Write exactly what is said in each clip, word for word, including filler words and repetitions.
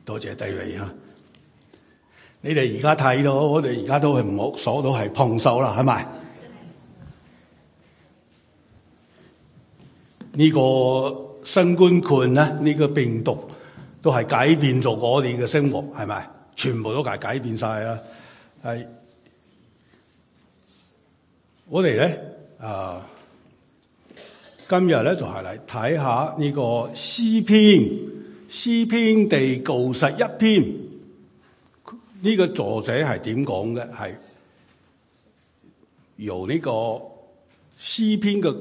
多謝低位吓，你哋而家睇到，我哋而家都係唔好鎖到係碰手啦，係咪？呢個新冠菌咧，呢個病毒都係改變咗我哋嘅生活，係咪？全部都係改變晒啦。係我哋咧啊，今日咧就係嚟睇下呢個詩篇。詩篇第九十一篇，呢、這個作者係點講嘅？係由呢個詩篇嘅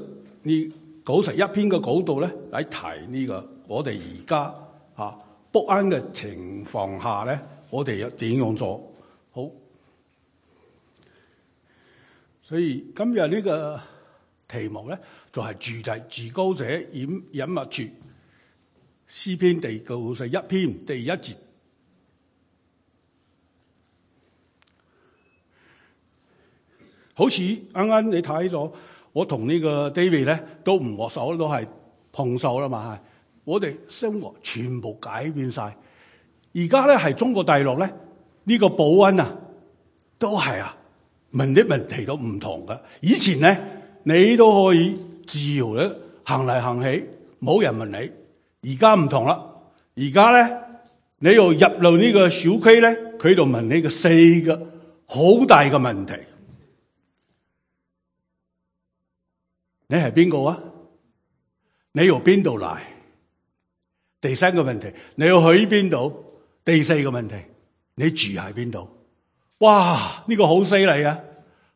呢九十一篇嘅角度咧嚟提呢、這個我哋而家啊不安嘅情況下咧，我哋又點樣做好？所以今日呢個題目咧就係、是、住在至高者隱隱密處。詩篇第九十一篇第一節，好似啱啱你睇咗，我同呢個 David 咧都唔握手，都係碰手啦嘛。我哋生活全部改變晒。而家咧係中國大陸咧，呢、這個保安啊，都係啊問啲問題都唔同㗎。以前咧，你都可以自由咧行嚟行去，冇人問你。而家唔同啦，而家咧你要入到呢個小區咧，佢就問你個四個好大嘅問題。你係邊個啊？你由邊度嚟？第三個問題，你要去邊度？第四個問題，你住喺邊度？哇！呢個好犀利啊！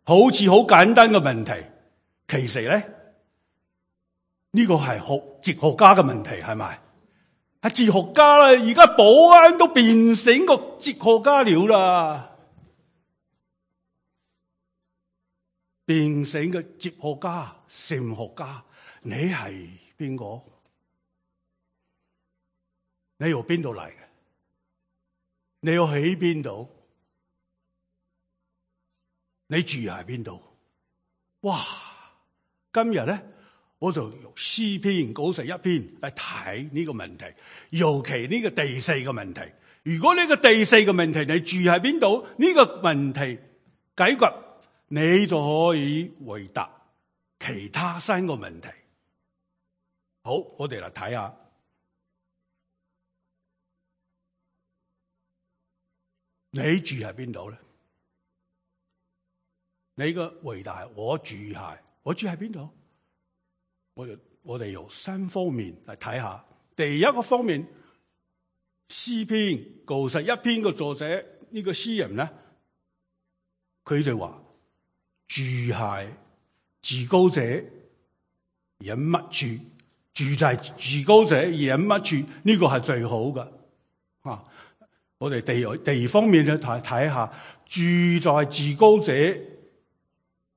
好似好簡單嘅問題，其實咧。呢個係學哲學家嘅問題，係咪？係哲學家啦，而家保安都變成個哲學家了啦，變成個哲學家、神學家。你係邊個？你由邊度嚟嘅？你要喺邊度？你住喺邊度？哇！今日咧。我就用詩篇九十一篇嚟睇呢個問題，尤其呢個第四個問題。如果呢個第四個問題你住喺邊度，呢、這個問題解決，你就可以回答其他三個問題。好，我哋嚟睇下，你住喺邊度咧？你個回答係我住喺，我住喺邊度？我我哋由三方面嚟睇下。第一個方面，詩篇九十一篇嘅作者呢、這個詩人咧，佢就話住喺至高者隱密處，住在至高者隱密處，呢、這個係最好嘅。啊，我哋地地方面咧睇睇下，住在至高者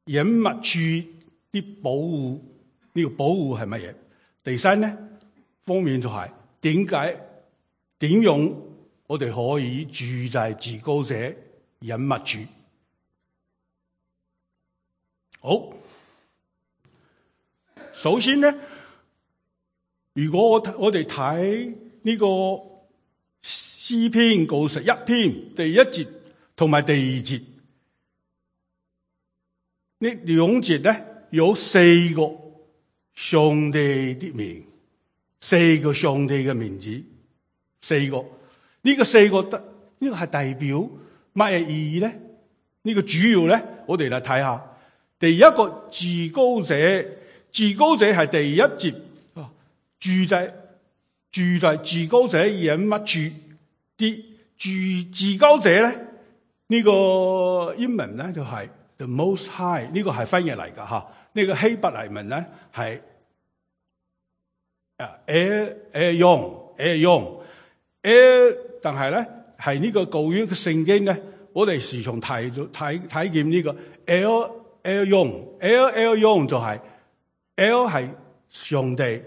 隱密處啲保護。呢個保護係乜嘢？第三咧方面就係點解點樣我哋可以住在至高者隱密處？好，首先咧，如果我我哋睇呢個詩篇九十一篇第一節同埋第二節，呢兩節咧有四個上帝的名，四個上帝嘅名字，四個呢、這個四個得呢、這個係代表乜嘢意義咧？呢、這個主要咧，我哋嚟睇下。第一個至高者，至高者係第一節，住在住在至高者隱密處啲住至高者咧，呢、這個英文咧就係、是、the most high， 呢個係翻譯嚟噶吓。呢個希伯來文咧係啊 El Elyon Elyon El， 但係咧係呢個舊約嘅聖經咧，我哋時常睇睇睇見呢個 El Elyon El Elyon 就係 El 係上帝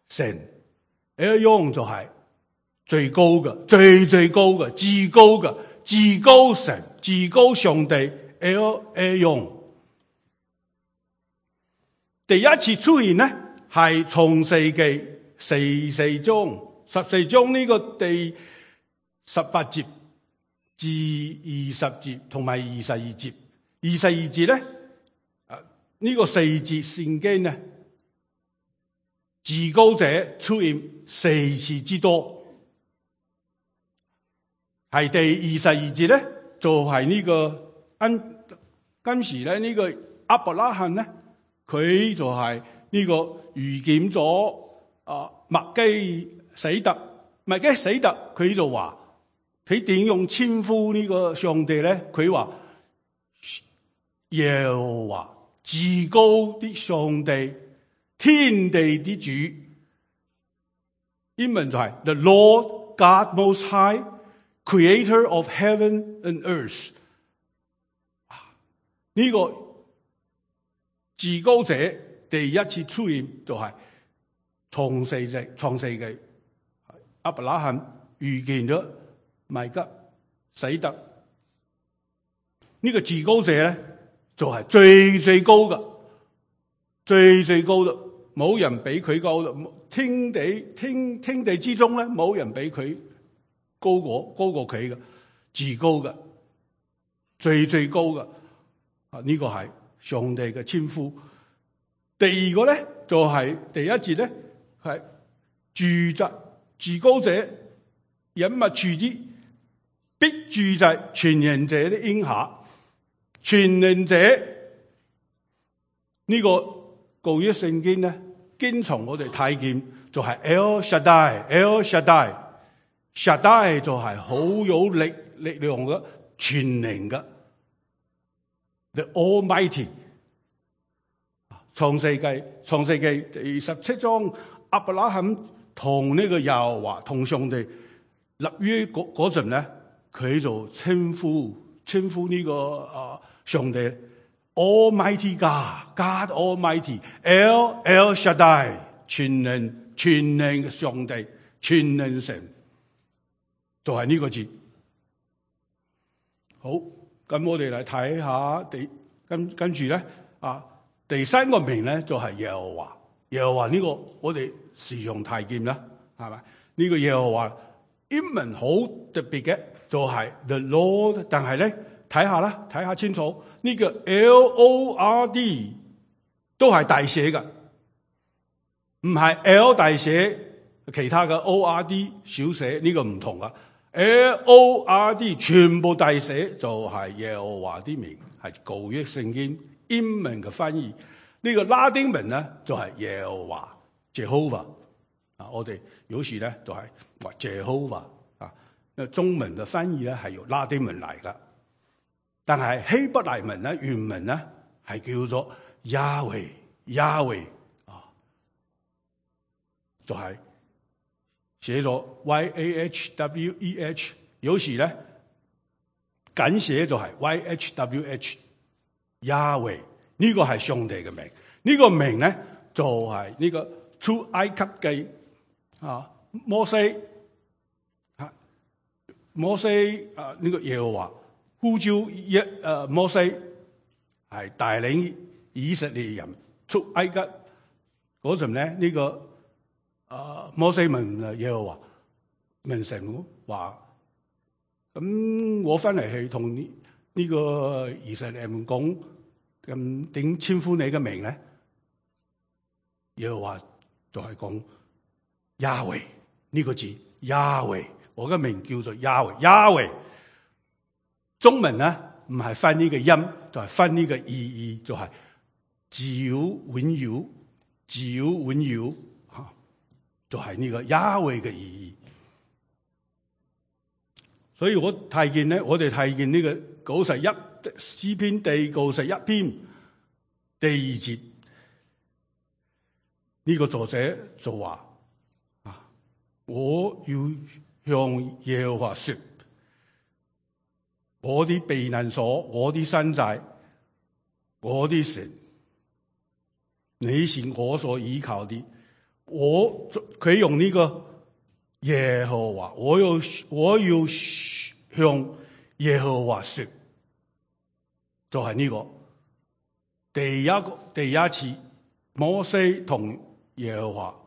神 Elyon 就係最高嘅最最高嘅至高嘅至高神、至高上帝 El Elyon。第一次出現呢，係創世記四四章十四章呢個第十八節至二十節同埋二十二節。二十二節咧，啊呢個四節聖經呢，至高者出現四次之多。係第二十二節咧，就係、是、呢個跟跟時咧，呢個亞伯拉罕咧，佢就係呢個遇見咗啊麥基洗德，麥基洗德佢就話佢點用稱呼呢個上帝咧？佢話耶和華至高的上帝，天地的主，英文就係 The Lord God Most High，Creator of Heaven and Earth。呢個至高者第一次出現就係創世記，創世記亞伯拉罕遇見咗麥基洗德，呢、這個至高者咧就係最最高嘅，最最高嘅，冇人比佢高嘅，天地天天地之中咧冇人比佢高過高過佢嘅，至高嘅，最最高嘅。啊！呢個係上帝嘅稱呼。第二個咧就係、是、第一節咧係住在至高者隱密處之，必住在全能者的蔭下。全能者呢、這個舊約聖經咧，經常我哋睇見就係 El Shaddai，El Shaddai，Shaddai 就係好有力力量嘅，全能嘅。The Almighty。創世記，創世記第十七章，亞伯拉罕同呢個耶和華同上帝立約嗰嗰陣咧，佢就稱呼稱呼呢、這個啊上帝 Almighty God，God Almighty，El El Shaddai， 全能全能嘅上帝，全能神，就係、是、呢個字。好。咁我哋嚟睇下第跟跟住咧啊，第三個名咧就係耶和華。耶和華呢個我哋時常睇見啦，係咪？呢、這個耶和華英文好特別嘅，就係 The Lord。但係咧睇下啦，睇下清楚呢、這個 L O R D 都係大寫嘅，唔係 L 大寫，其他嘅 O R D 小寫，呢、這個唔同噶。L O R D 全部大寫就係耶和華啲名，係舊約聖經英文嘅翻譯。呢、這個拉丁文咧就係耶和華 Jehovah 啊，我哋有時咧就係話 Jehovah 啊，中文嘅翻譯咧係由拉丁文嚟噶，但係希伯來文咧原文咧係叫做 Yahweh Yahweh 啊，就係、是。寫咗 Y A H W E H， 有時咧簡寫就係 Y H W H Yahweh， 呢個係上帝嘅名。呢、這個名咧就係、是、呢個出埃及記啊，摩西啊，摩西啊，呢、這個耶和華呼召一誒摩西係帶領以色列人出埃及嗰陣咧，呢、這個。啊！摩西問耶和華問神話，咁我翻嚟係同呢呢個以色列人講，咁點稱呼你嘅名咧？耶和華就係講亞維呢個字，亞維，我嘅名叫做亞維，亞維。中文咧唔係翻呢個音，就係翻呢個意義，就係自有永有，自有永有。就係、是、呢個亞維嘅意義，所以我睇見咧，我哋睇見呢個九十一詩篇第九十一篇第二節，呢、這個作者就話啊，我要向耶和華說，我啲避難所，我啲山寨，我啲神，你是我所依靠的。我佢用呢個耶和華，我要我要向耶和華說，就係呢個第一個第一次摩西同耶和華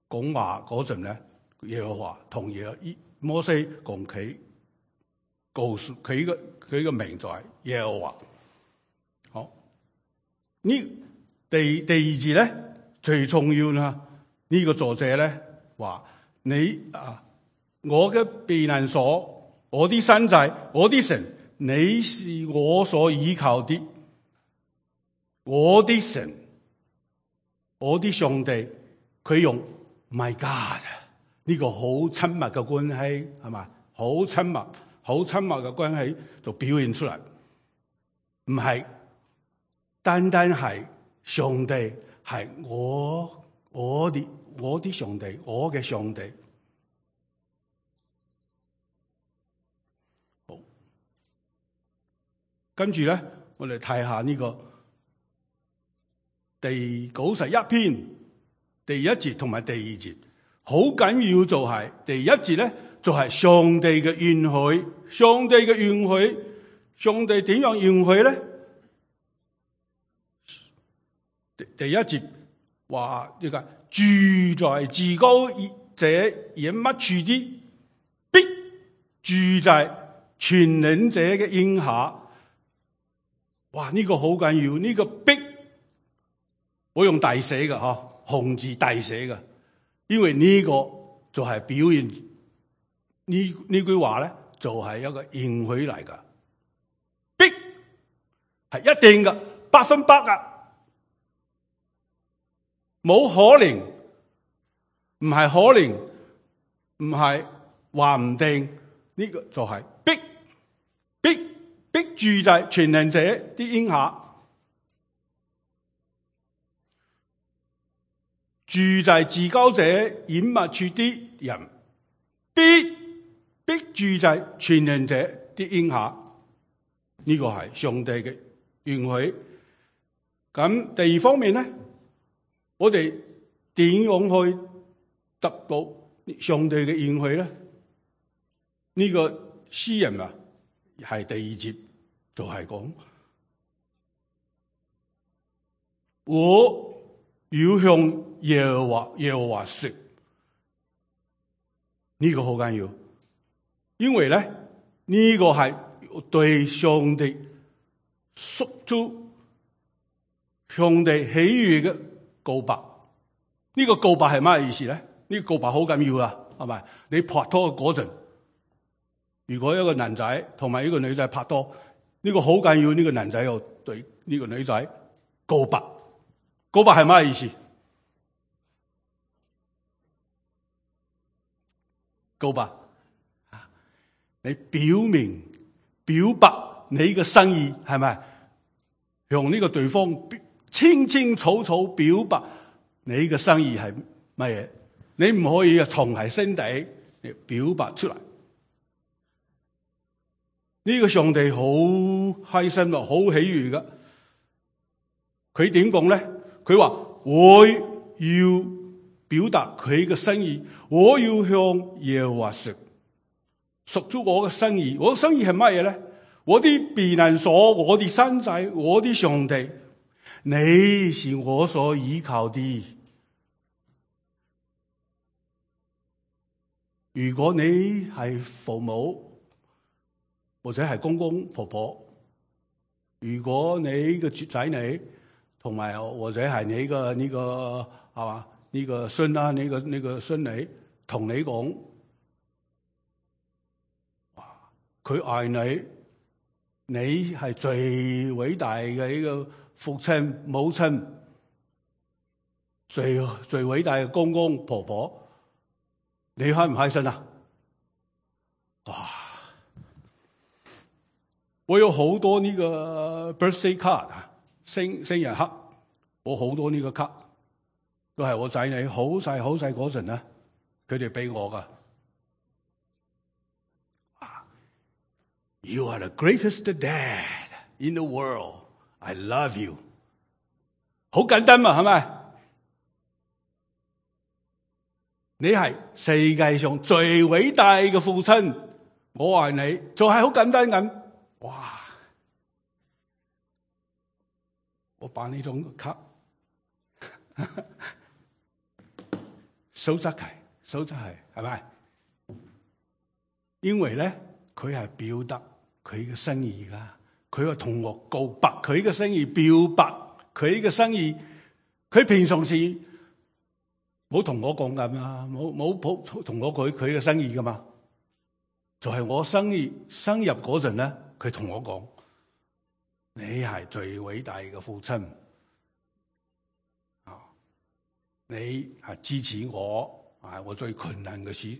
講話嗰陣咧，耶和華同耶摩西講佢告訴佢嘅佢嘅名就係耶和華。好，呢第第二節咧最重要啦，呢、這個作者咧話你啊，我嘅避難所，我啲山寨，我啲神，你是我所依靠的，我啲神，我啲上帝。佢用 My God 呢個好親密嘅關係，係咪？好親密好親密嘅關係就表現出嚟，唔係單單係上帝，係我我啲我啲上帝，我嘅上帝。好，跟住咧，我哋睇下呢個第九十一篇第一節同埋第二節，好緊要就係第一節咧，就係上帝嘅允許，上帝嘅允許，上帝點樣允許咧？第一節話呢個住在至高者隱密處的，必住在全能者嘅蔭下。哇！呢、這個好緊要，呢、這個必我用大寫嘅嗬，紅字大寫嘅，因為呢個就係表現呢呢句話咧，就係一個應許嚟噶，必係一定嘅，百分百噶。冇可能，唔係可能，唔係話唔定，呢、這個就係必必必住在全能者啲蔭下，住在至高者隱密處啲人，必必住在全能者啲蔭下。呢、這個係上帝嘅允許。咁第二方面咧，我哋點樣去得到上帝嘅應許咧？呢、這個詩人啊，係第二節就係講，我要向耶和華耶和華說，呢、這個好緊要，因為咧呢、這個係對上帝訴諸上帝喜悅嘅告白。呢、這個告白係乜意思咧？呢、這個告白好緊要啊，係咪？你拍拖嗰陣，如果一個男仔同埋一個女仔拍拖，呢、這個好緊要。呢、這個男仔又對呢個女仔告白，告白係乜意思？告白，你表明表白你嘅心意，係咪？向呢個對方清清楚楚表白你嘅心意係乜嘢？你唔可以啊，藏喺心底嚟表白出嚟。呢、這個上帝好開心啊，好喜悅噶。佢點講咧？佢話我要表達佢嘅心意，我要向耶和華說，屬咗我嘅心意。我嘅心意係乜嘢咧？我啲避難所，我啲山寨，我啲上帝，你是我所依靠的。如果你係父母或者係公公婆婆，如果你嘅仔女同埋或者係你嘅呢個係嘛呢個孫啦，呢個呢個孫女同你講，佢愛你，你係最偉大嘅呢個父親母親，最最偉大嘅公公婆婆。你開唔開心啊？哇！我有好多呢個 birthday card 生生日卡，我好多呢個卡都係我仔女好細好細嗰陣咧，佢哋俾我噶。You are the greatest dad in the world. I love you. 好簡單嘛，係咪？你係世界上最偉大嘅父親，我愛你，就係好簡單咁。哇！我把呢種卡收則係收則係係咪？因為咧，佢係表達佢嘅心意噶，佢話同我告白佢嘅心意，表白佢嘅心意。佢平常時冇同我講咁啊，冇冇同我佢佢嘅心意噶嘛。就係、是、我生日生日嗰陣咧，佢同我講：你係最偉大嘅父親啊！你係支持我啊！我最困難嘅事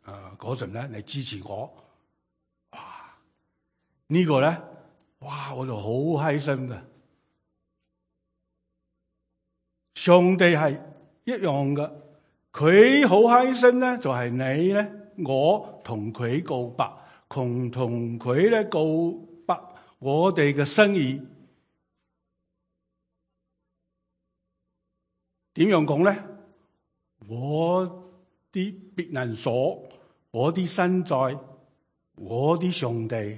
啊嗰陣咧，你支持我。哇！這個、呢個咧，哇！我就好開心嘅。上帝係一樣嘅，佢好開心咧，就係、是、你咧。我同佢告白，同同佢咧告白，我哋嘅心意點樣講咧？我啲避難所，我啲身在，我啲上帝，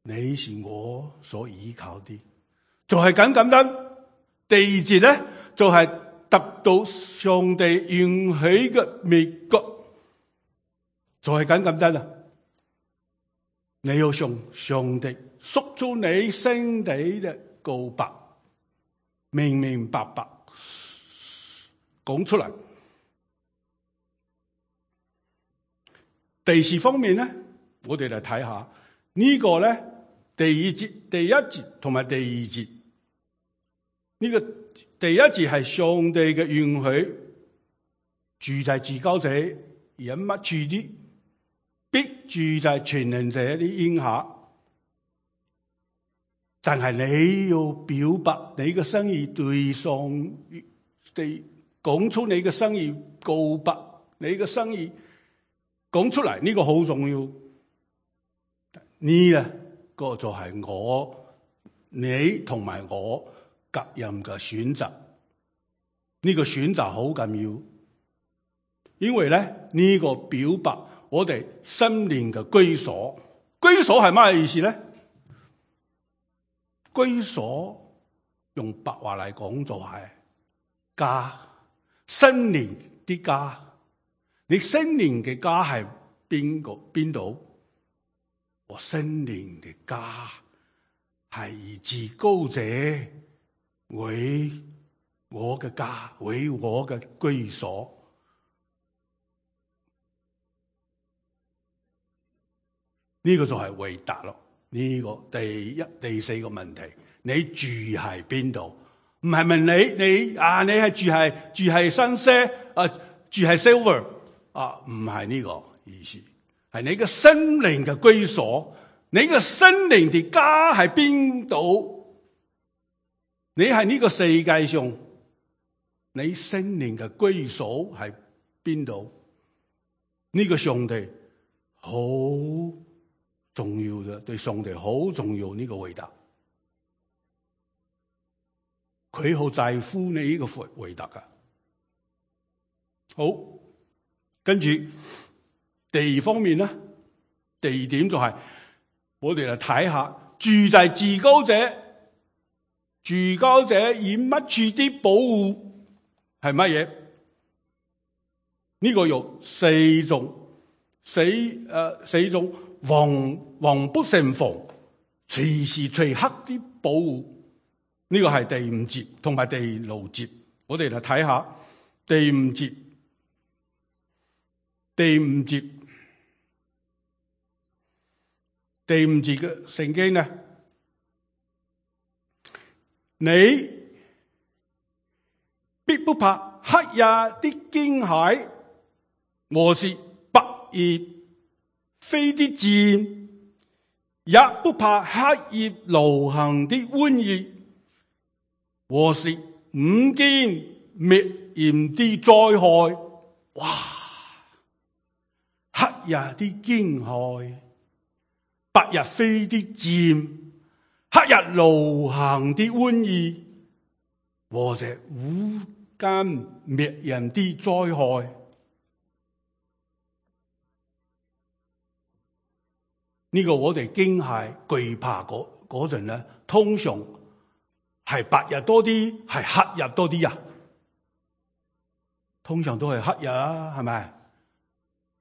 你是我所依靠啲，就係咁簡單。第二節咧，就係、是、得到上帝允許嘅美國。就係咁簡單啦！你要向上帝說出你心底嘅告白，明明白白講出嚟。第四方面咧，我哋嚟睇下呢個咧，第二節、第一節同埋第二節。呢個第一節係上帝嘅允許，住在至高者隱密處啲。必住在全能者啲蔭下，但係你要表白你嘅心意，對上地講出你嘅心意，告白你嘅心意，講出嚟，呢個好重要。呢個就係我你同埋我各人嘅選擇，呢個選擇好緊要，因為咧呢個表白。我哋心靈嘅居所，居所係咩意思咧？居所用白話嚟講就係家，心靈啲家。你心靈嘅家係邊個邊度？我心靈嘅家係以至高者為我嘅家，為我嘅居所。呢個就係回答咯。呢個第一、第四個問題，你住喺邊度？唔係問你，你啊，你係住喺住喺新些啊，住喺 Silver 啊，唔係呢個意思，係你嘅心靈嘅居所。你嘅心靈嘅家喺邊度？你係呢個世界上，你心靈嘅居所喺邊度？呢個上帝好重要嘅，對上帝好重要呢個回答，佢好在乎你呢個回回答噶。好，跟住第二方面咧，第二點就係、是、我哋嚟睇下住在至高者，至高者以乜處啲保護係乜嘢？呢、這個有四種，四誒、呃、四種。防防不勝防，隨時隨刻啲保護，呢、這個係第五節同埋第六節。我哋嚟睇下第五節。第五節，第五節嘅聖經呢？你必不怕黑夜的驚駭，和是白夜飛的箭，也不怕黑夜流行的瘟疫，和是午間滅炎的災害。哇！黑夜的驚駭，白日飛的箭，黑日流行的瘟疫，和是午間滅炎的災害。呢個我哋驚嚇懼怕嗰嗰陣咧，通常係白日多啲，係黑日多啲啊？通常都係黑日啊，係咪？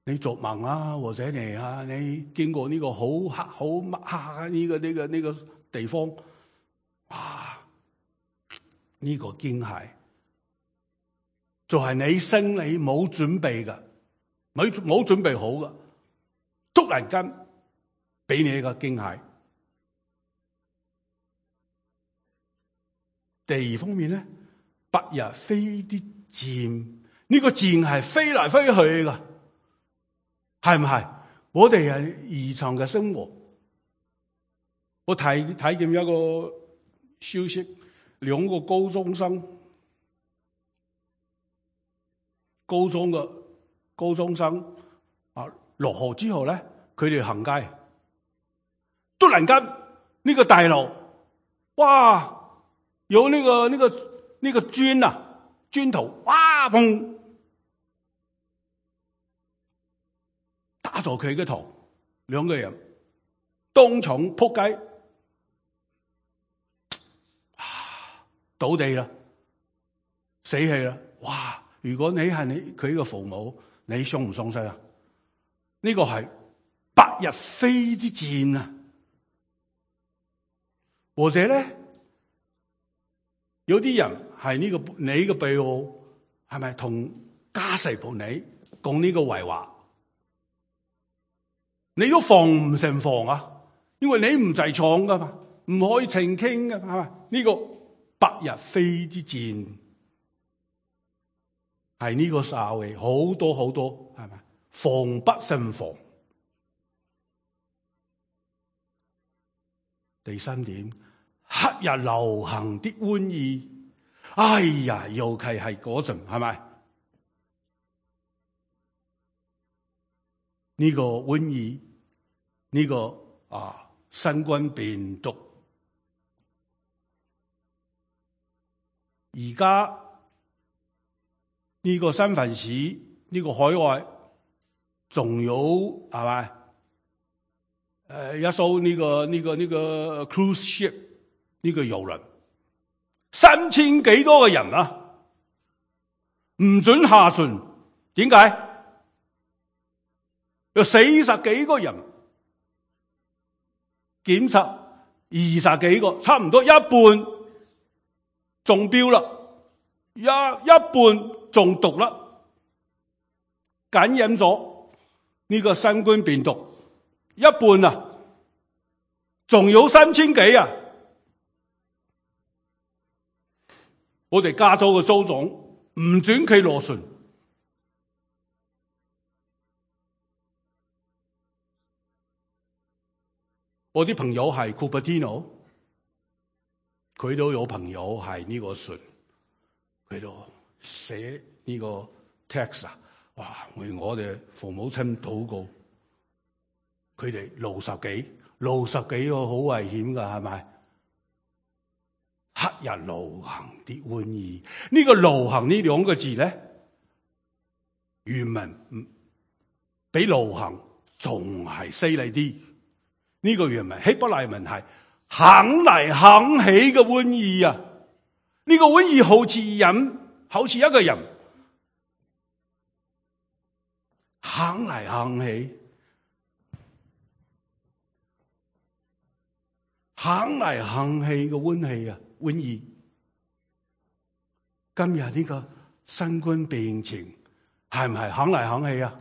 你做夢啊，或者你啊，你經過呢個好黑好乜黑呢個呢個呢個地方，哇！呢個驚嚇就係你心裏冇準備噶，冇冇準備好噶，突然間俾你一個驚嚇。第二方面咧，白日飛啲箭，呢個箭係飛嚟飛去噶，係唔係？我哋係日常嘅生活。我睇睇見一個消息，兩個高中生，高中嘅高中生啊，落學之後咧，佢哋行街，突然間呢個大樓，哇！有呢個呢個呢個磚啊，磚頭，哇！砰！打咗佢嘅頭，兩個人當場撲街，倒地啦，死氣啦！哇！如果你係你佢嘅父母，你傷唔傷心啊？呢個係白日飛啲箭啊！或者咧？有啲人係呢、這個你嘅背後係咪同家世部你講呢個壞話？你都防唔成防啊！因為你唔在場噶嘛，唔可以澄清噶，係咪？呢、這個白日飛啲箭係呢個社會好多好多，係咪？防不勝防。第三點。黑日流行啲瘟疫，哎呀，尤其係嗰陣，係咪？呢個瘟疫，呢個啊新冠病毒，而家呢個三藩市，呢個海外，仲有係咪？誒，一艘呢個呢個呢個 cruise ship。呢個遊輪三千幾多個人啊，唔准下船，點解？有四十幾個人檢測，二十幾個，差唔多一半中標啦，一一半中毒啦，感染咗呢個新冠病毒，一半啊，仲有三千幾啊！我哋加州嘅州長唔准佢落船，我啲朋友係 Cupertino， 佢都有朋友係呢個船，佢都寫呢個 text 啊，哇！為我哋父母親禱告，佢哋六十幾，六十幾個好危險噶，係咪？黑日流行啲瘟疫，呢個流行呢兩個字咧，原文比流行仲係犀利啲。呢個原文希伯來文係行嚟行起嘅瘟疫啊！呢個瘟疫好似人，好似一個人行嚟行起，行嚟行去嘅瘟疫啊！瘟疫，今日呢個新冠病情係唔係行嚟行去啊？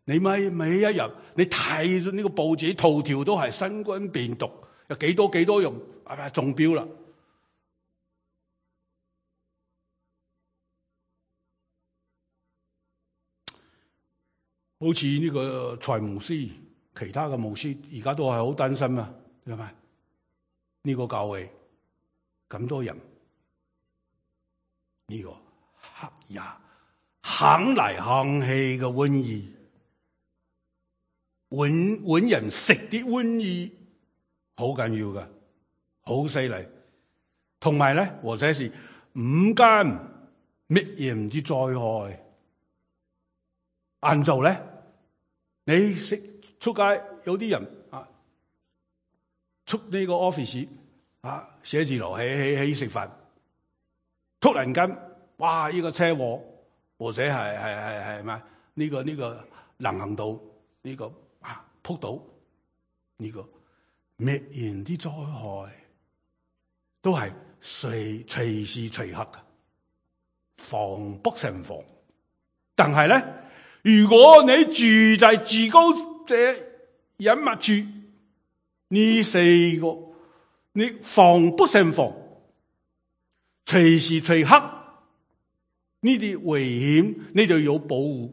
你每每一日你睇咗呢個報紙頭條都係新冠病毒，有幾多幾多人係咪中標啦？好似呢個蔡牧師，其他嘅牧師而家都係好擔心啊，係咪？呢個教會咁多人，呢、這個黑日行嚟行去嘅瘟疫，揾揾人食啲瘟疫，好緊要㗎，好犀利。同埋咧，或者是午間乜嘢唔知災害，晏晝咧，你食出街有啲人啊出呢個 office 啊，寫字樓起起起食飯，突然間哇！呢、這個車禍或者係係係係咩？呢、這個呢、這個人行道呢、這個啊撲倒呢、這個滅人啲災害，都係隨隨時隨刻嘅，防不勝防。但係咧，如果你住在至高者隱密處，呢四個你防不勝防，隨時隨刻呢啲危險，你就要保護，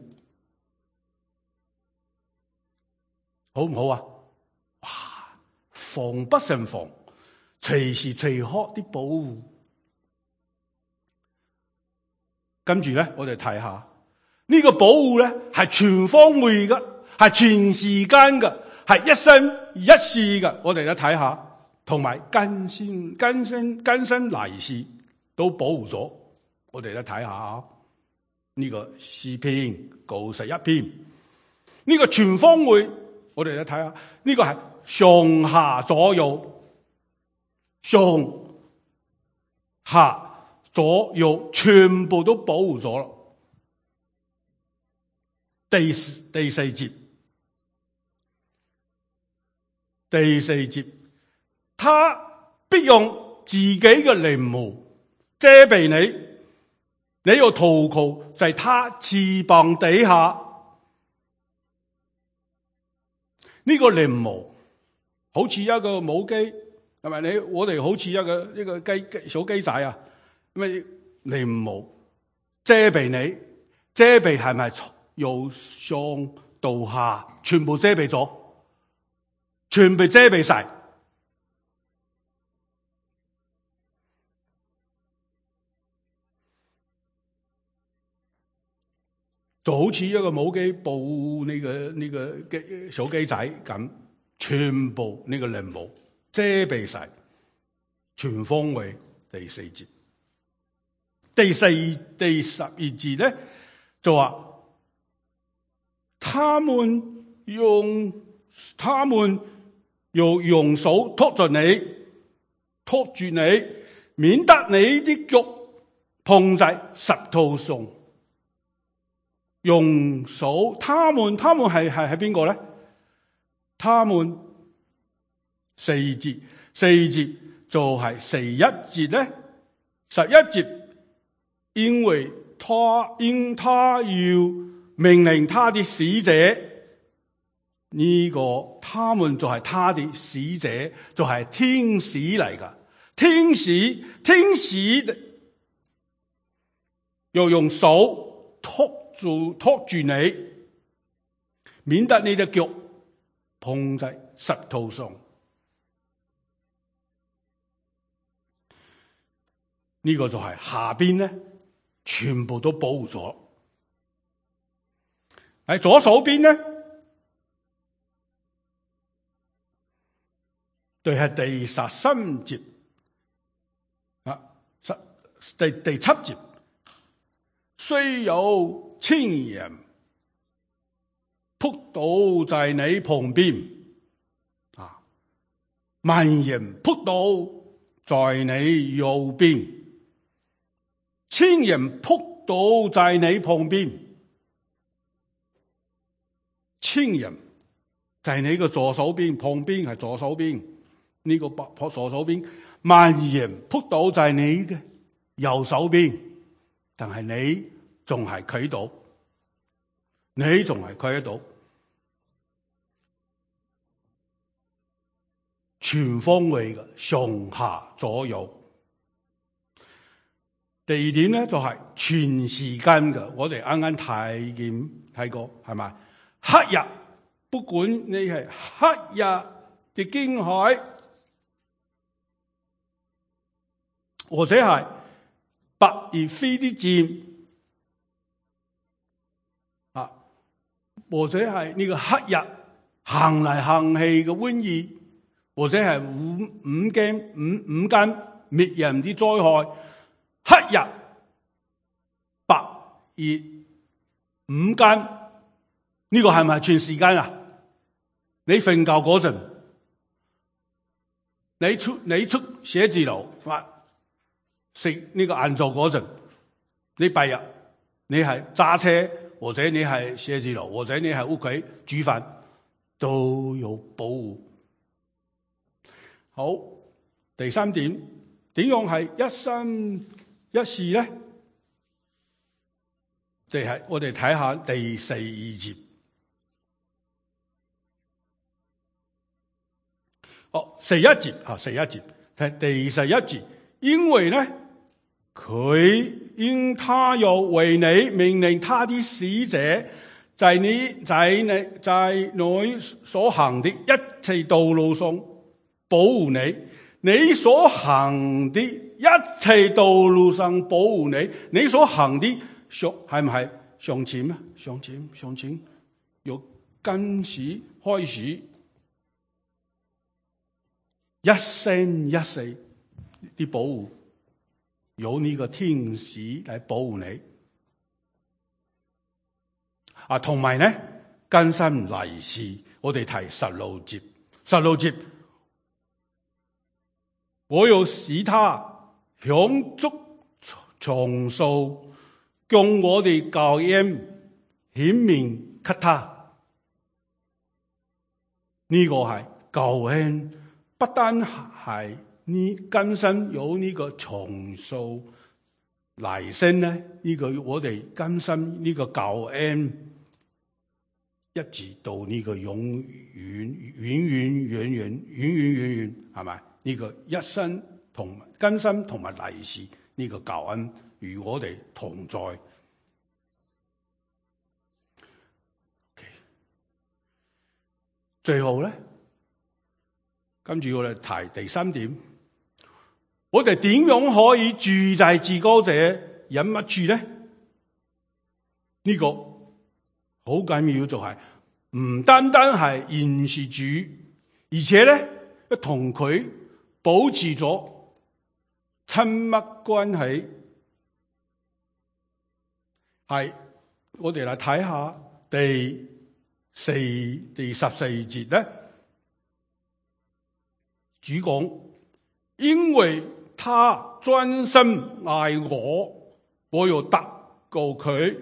好唔好啊？哇！防不勝防，隨時隨刻啲保護。跟住咧，我哋睇下呢個保護咧，係全方位嘅，係全時間嘅，係一生一世嘅。我哋咧睇下，同埋更新更新更新嚟世都保護咗。我哋咧睇下呢個詩篇九十一篇，呢個全方位，我哋咧睇下呢個係上下左右，上下左右全部都保護咗啦。第第四節，第四節，他必用自己嘅翎毛遮蔽你，你要投靠在他翅膀底下。呢、這個翎毛好似一個母雞，係咪？你我哋好似一個一個雞小雞仔啊，咪翎毛遮蔽你，遮蔽係咪由上到下全部遮蔽咗，全部遮蔽晒，就好似一個母雞抱呢個呢個雞小雞仔咁，全部呢個翎毛遮蔽晒，全方位。第四節，第四第十二節咧就話，他們用他們用用手托住你，托住你，免得你啲腳碰在石頭上。用手，他們他們係係係邊個咧？他們四節四節就係十一節咧，十一節，因為他因他要命令他的使者，呢、這個他們就係他的使者，就係、是、天使嚟噶，天使天使又用手托住托住你，免得你隻腳碰在石頭上。呢、這個就係下邊咧，全部都保護咗。喺左手邊咧，就係第十三節啊，十第第七節，雖有千人撲倒在你旁邊，啊，萬人撲倒在你右邊，千人撲倒在你旁邊，千人就係你個左手邊，旁邊係左手邊，呢、這個左手邊，萬人撲倒在你嘅右手邊，但係你仲係企到，你仲係企喺度，全方位嘅上下左右。第二點咧就係、是、全時間嘅，我哋啱啱睇見睇過係咪？黑日，不管你係黑日嘅驚海，或者係白而飛啲箭。或者係呢個黑日行嚟行去嘅瘟疫，或者係五五間五五間滅人啲災害，黑日白而五間，呢個係咪全時間啊？你瞓覺嗰陣，你出你出寫字樓或食呢個晏晝嗰陣，你拜日你係揸車，或者你係寫字樓，或者你係屋企煮飯，都有保護。好，第三點，點樣係一生一世咧？就係我哋睇下第四節。哦，十一節啊，十一節睇第十一節，因為咧佢因他又為你命令他的使者，在你在你在你所行的一切道路上保護你，你所行的一切道路上保護你，你所行的上係唔係向前啊？向前向前，由今時開始，一生一世啲保護，有呢個天使嚟保護你啊，同埋咧更新利是，我哋提十六節，十六節，我要使他享足長壽，將我哋救恩顯明給他。呢、這個係救恩。不單係呢更新有呢個長壽嚟生咧，呢、這個我哋更新呢個救恩，一直到呢個永遠、遠遠、遠遠、遠遠、遠遠，係咪？呢、這個一生同更新同埋利是呢個救恩與我哋同在。Okay. 最後咧。跟住我哋提第三點，我哋點樣可以住在至高者隱密處咧？呢、這個好緊要，就係唔單單係認識主，而且咧同佢保持咗親密關係。係我哋嚟睇下第四、第十四節咧。主講，因為他專心愛我，我要得救佢；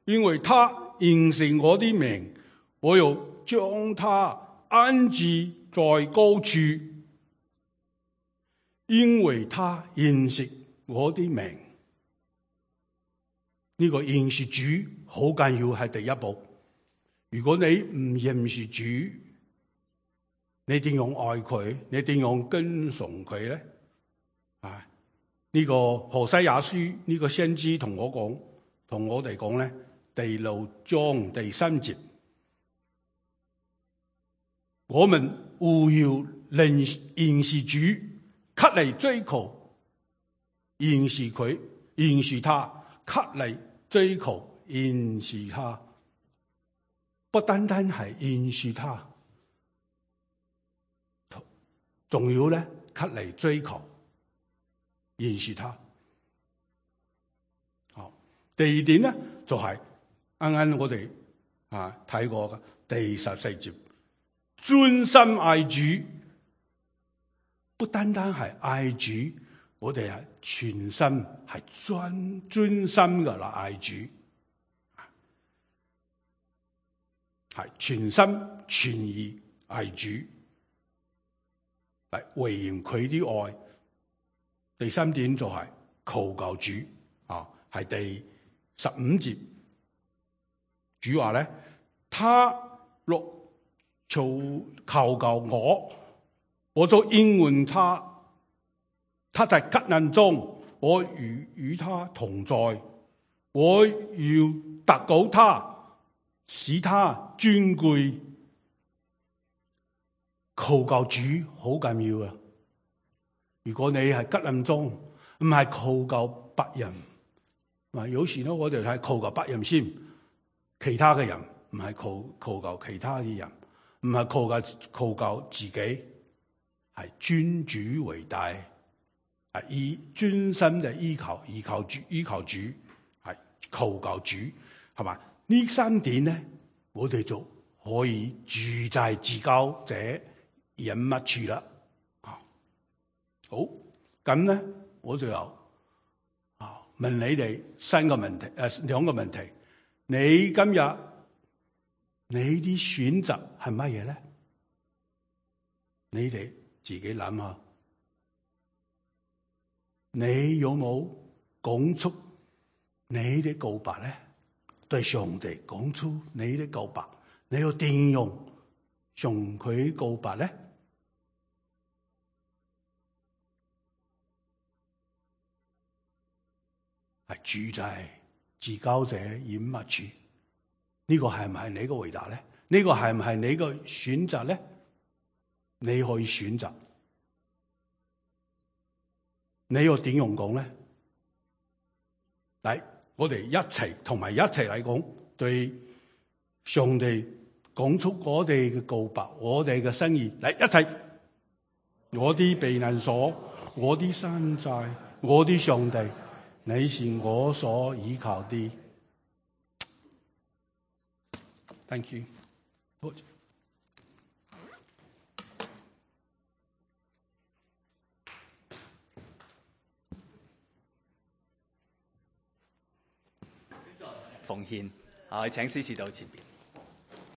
因為他認識我的名，我要將他安置在高處；因為他認識我的名。呢、這個認識主好緊要，係第一步。如果你唔認識主，你點樣愛佢？你點樣跟從佢咧？啊！呢、這個何西阿書呢、這個先知同我講，同我哋講咧，第六章第三節，我們務要認認識主，給嚟追求認識佢，認識他，給嚟追求認識他，不單單係認識他。仲要咧，給嚟追求認識他。好，第二點咧就係啱啱我哋啊睇過嘅第十四節，專心愛主，不單單係愛主，我哋係全心係專專心嘅啦愛主，係全心全意愛主。嚟回應佢啲愛。第三點就係求救主啊，係第十五節。主話咧，他若求求救我，我就應允他。他在急難中，我與與他同在，我要得救他，使他尊貴。求救主好緊要啊！如果你係急難中，唔係求救別人，嗱有時咧我哋係求救別人先，其他嘅人唔係求求救其他嘅人，唔係求救求救自己，係尊主為大，係以專心嘅依靠依靠主依靠主，係求救主，係嘛？呢三點咧，我哋就可以住在至高者隱密處啦。好，咁咧我就有啊問你哋三個問題，誒兩個問題。你今日你啲選擇係乜嘢咧？你哋自己諗下，你有冇講出你啲告白咧？對上帝講出你啲告白，你要點樣向佢告白咧？係住在至高者隱密處，呢個係唔係你嘅回答咧？呢個係唔係你嘅選擇咧？你可以選擇，你要點樣講咧？嚟，我哋一齊同埋一齊嚟講，對上帝講出我哋嘅告白，我哋嘅心意，嚟一齊。我啲避難所，我啲山寨，我啲上帝，你是我所依靠的。Thank you。奉獻啊！請司事到前邊。